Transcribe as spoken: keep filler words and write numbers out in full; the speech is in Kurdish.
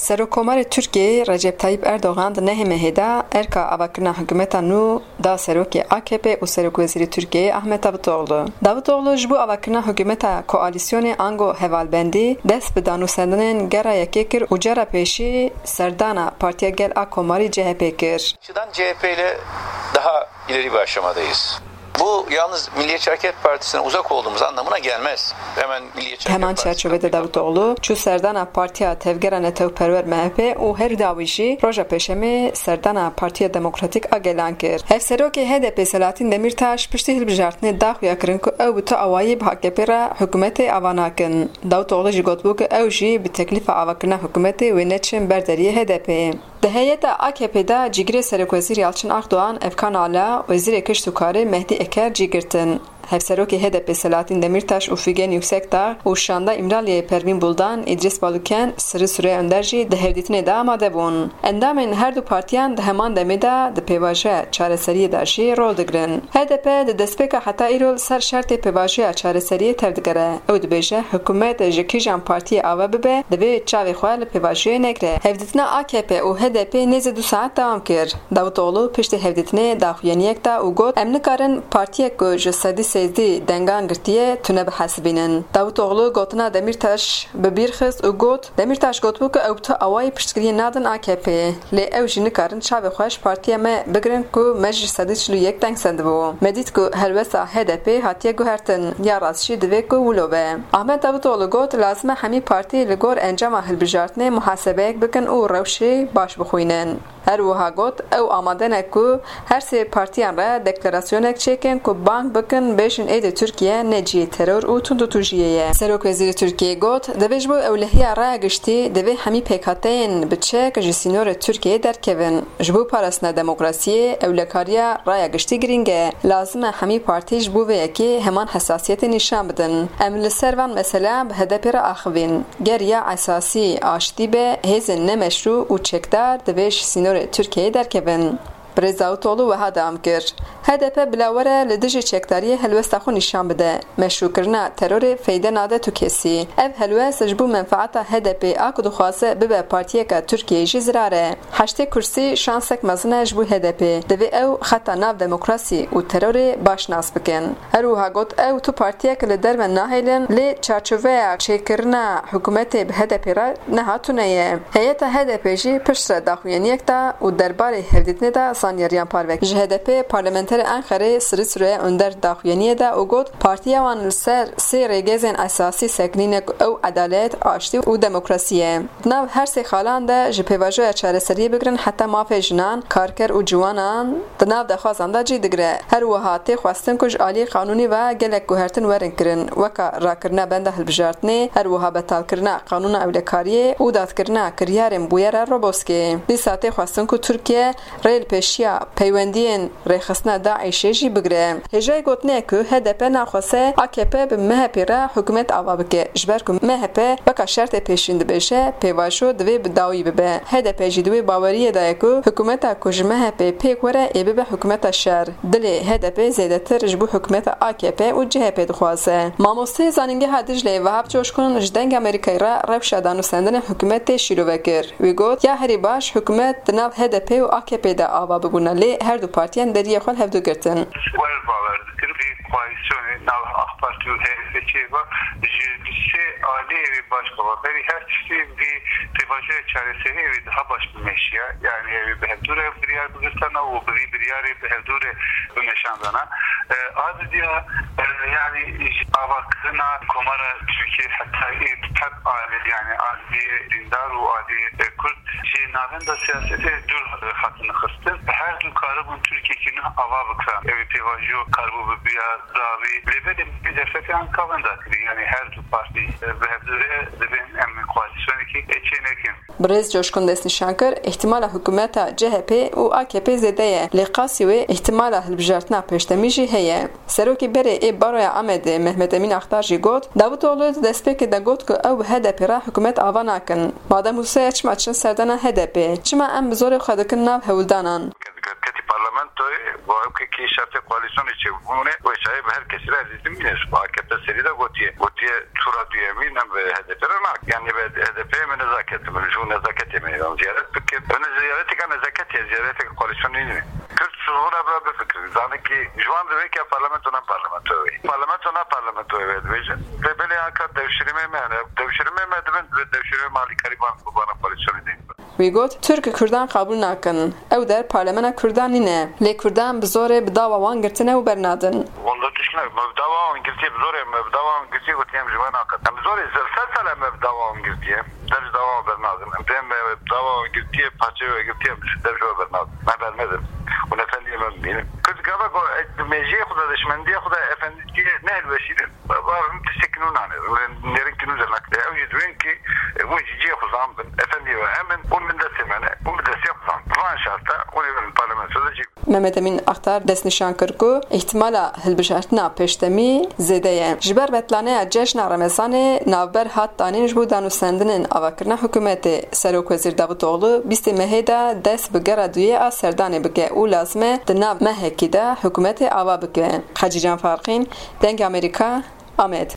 Serokkomarê Tirkiyeyê Recep Tayyip Erdogan di nehê mehê de erka avakirina hikûmeta nû da serokê A K P û serokwezîrê Tirkiyeyê Ahmet Davutoğlu. Davutoğlu ji bo avakirina hikûmeta koalîsyonê ango hevalbendî dest bi danûsendinên gera yekê kir û cara pêşî serdana Partiya Gel a Komarî C H P kir. Açıdan C H P ile daha ileri bir aşamadayız. Bu yalnız Milliyetçi Hareket Partisi'ne uzak olduğumuz anlamına gelmez. Hemen Milliyetçi Hareket Heman Partisi'nden çerçevede Davutoğlu çû serdana Partiya Tevgera Netewperwer M H P û her dawî jî roja Pêşemê serdana Partiya Demokratîk a Gelan kir. Hevserokê H D P Selahattin Demirtaş piştî hilbijartinê da xuya kirin ku ew bi tu awayî bi A K P re hikûmetê ava nakin. Davutoğlu jî gotibû ku ew jî bi teklîfa avakirina hikûmetê wê neçin ber deriyê H D P. Di heyeta A K P de cîgirê Serokwezîr Yalçın Akdoğan, Efkan Ala, Wezîrê Kişt û Karê Mehdî Eker cî girtin. Hevserokê H D P Selahattin Demirtaş û Figen Yüksekdağ û Şanda Îmraliyê Pervîn Buldan, Îdris Baluken, Sirri Süreyya Önder jî di hevdîtinê de amade bûn. Endamên her du partiyan di heman demê de di pêvajoya çareseriyê de jî rol digirin. H D P di destpêka heta îro li ser şertê pêvajoya çareseriyê tevdigere. Ew dibêje, hikûmet ji kîjan partiyê ava bibe, divê çavê xwe li pêvajoyê negire. Hevdîtina A K P û H D P nêzî du saet dewam kir. Davutoğlu piştî hevdîtinê daxuyaniyek da û got, em nikarin partiyek ku ji sedî sêzdî dengan girtiye tune bihesibînin. Davutoğlu gotina Demîrtaş bi bîr xist û got, Demîrtaş gotibû ku ew bi tu awayî piştgiriyê nadin A K P, lê ew jî nikarin çavê xwe ji partiya me bigirin ku me ji sedî çil û yek deng sendibû. Me dît ku helwesta H D P hatiye guhertin, ya rast jî divê ku wilo be. Ahmet Davutoğlu got, lazim e hemî partî li gor encama hilbijartinê muhasebeyek bikin û rewşê baş bixwînin. Her wiha got, ew amade ne ku her sê partiyan re deklarasyonek çêkin ku bang bikin, bêjin êdî Tirkiye ne cihê teror û tundûtûjiyê ye. Serokwezîrê Tirkiyeyê got, divê ji bo ewlehiya raya giştî, divê hemî pêkhateyên bi çek ji sînorê Tirkiyeyê derkevin. Ji bo parastina demokrasiyê, ewlekariya raya giştî girîng e. Lazim e hemî partî ji bo vê yekê heman hesasiyetê nîşan bidin. Em li ser van mesela bi H D P re axivîn. Ger ya esasî aştî be, hêzên nemeşrû û çekdar divê ji sînorê Tirkiyeyê derkevin. Birêz Davutoğlu wiha dewam kir, H D P bila were li dijî çekdariyê helwesta xwe nîşan bide. Meşrûkirina terorê feyde nade tu kesî. Ev helwest ji bo menfaeta H D P a ku dixwaze bibe partiyeka Tirkiyeyê jî zirar e. Heştê kursî şansek mezin e ji bo H D P. Divê ew xeta nav demokrasî û terorê baş nas bikin. Her wiha got, ew tu partiyek li derve nahêlin, lê çarçoveya çêkirina hikûmetê bi H D P re niha tune ye. Heyeta H D P jî piştre daxuyaniyek da û derbarê hevdîtinê de zanyariyan parve kir. Ji H D P parlamenterê Enqerê Sirî Süreyya Önder daxuyaniyê da û got, partiya wan li ser sê rêgezên esasî sekinîne ku ew edalet, aştî û demokrasî ye. Di nav her sê xalan de ji pêvajoya çareseriyê bigirin heta mafê jinan, karker û ciwanan di nav daxwazan de cî digire. Her wiha tê xwestin ku ji aliyê qanûnî ve gelek guhertin werin kirin, weka rakirina benda hilbijartinê, her wiha betalkirina qanûna ewlekariyê û dadkirina kiryarên bûyera Roboskê. Dîsa tê xwestin ku Tirkiye rê li pêşiya peywendiyên rêxistina DAIŞê jî bigire. Hêjayî gotinê ye ku H D P naxwaze A K P bi M H P re hikûmet ava bike, ji ber ku M H P weka şertê pêşîn dibêje, pêvajo divê bi dawî bibe. H D P jî di wê baweriyê de ye ku hikûmeta ku ji M H P pêk were ê bibe hikûmeta şer. Dilê H D P zêdetir ji bo hikûmeta A K P û C H P dixwaze. Mamosteyê Zanîngeha Dicleyê Vehap Coşkun ji Dengê Amerîkayê re rewşa danûsendinê hikûmetê şîrove kir. Wî got, ya herî baş hikûmet di nav H D P û A K P de ava bibûna, lê her du partiyan deriyê xwe li hevdu girtin. Wer bawer dikin vî koalîsyonê nav AK Partî û H D P çêba ji sê aliyê wî baş baba. Berî her tiştî vî pêvajoya çareseriyê wî daha baş bimeşiya. Yani ew ê bi hevdû re biryar bigirtana û bi vî biryarê bi hevdû re bimeşandana. E, a didiya, e, yani ji avakirina Komara Tirkiyê heta ê bi teb alî, yani aliyê dîndar û aliyê, e, Kurd ji navenda siyasetê dûr, e, hatin xistin. Her du karibûn Tirkiyekî nuh ava bikiran. Ew ê pêvajo karibû bibiya dawî. Lê belê vî derfetê anka wenda kirî. Yani her du partî, e, bi hevdû re dibên em koalîsyonekî, e, çê nekin. Birêz Coşkun destnîşan kir, îhtimala hikûmeta C H P û A K P zêde ye, lê qasî wê îhtimala hilbijartina pêşdemî jî heye. Serokê berê ê Baroya Amedê Mehmet Emîn Aktar jî got, Davutoglu di destpêkê de got ku ew bi H D P re hikûmet ava nakin. Madem wisa ye çima çin serdana H D P? Çima em bi zorê xwe dikin nav hewldanan? Ketî parlamentoyê, bar Wekî şertê koalîsyonê çêbûne, wê çayê bi her kesî re ezîzim bîne. Ji bo A K P serî de gotiye. Gotiye tura duyemîn em bi H D P re nakin. Yani bi H D P me nezaket, min ji nezaketê me yan ziyaret bikin. Öne ziyaretê ka nezaketê, ziyaretê koalîsyonê nîne. Kürt ji hûn re bira bifikirin. Zanî ki ji wan divê ki parlamento ne parlamento wê. Parlamento ne parlamento wê dibêjin. Lê belê anka devşirimê me, yani devşirimê me dibin, devşirimê malîkarî ban, bana koalîsyonê dîn. Wî got, Tirk Kurdan qebûl nakin. Ew der parlemena Kurdan nîne. Lê Kurdan bi zorê bi dava wan girtine û bernadin. Walla tişt ne, me bi dava wan girtiye, bi zorê me bi dava wan girtiye, gotiye em ji we naqet. Em bi zorê zel sed sal em me bi dava wan girtiye. Dev ji dava wan bernadin. Em dê me bi dava wan girtiye, parçeyê we girtiye, em dev ji we bernadin. Me bernedin. Û efendiyê me bimînin. Kurd gava ku, e, di mêjiyê xwe de, di şimendiyê xwe de efendiyê ne hilweşînin. Ba, ba, em tiştekî nû nane. Nêrin ki nû zernak. Ew jî dibên ki, e, hûn jî cihê xwe zan bin. Efendiyê we em in, hûn bin destê me ne. Hûn bi destê xwe zan. Van şerta, hûn ê bin parlamentoda cî. Mehmet Emîn Aktar destnîşan kir ku îhtimala hilbijartina pêşdemî zêde ye. Ji ber betlaneya cejna Remezanê navber hat danîn ji bo danûstendinên avakirina hikûmetê. Serokwezîr Davutoglu bîstê mehê de dest bi gera duyê a serdanê bike û lazim e di nav mehekî de hikûmetê ava bike. Hecîcan Farqîn, Dengê Amerîka, Amed.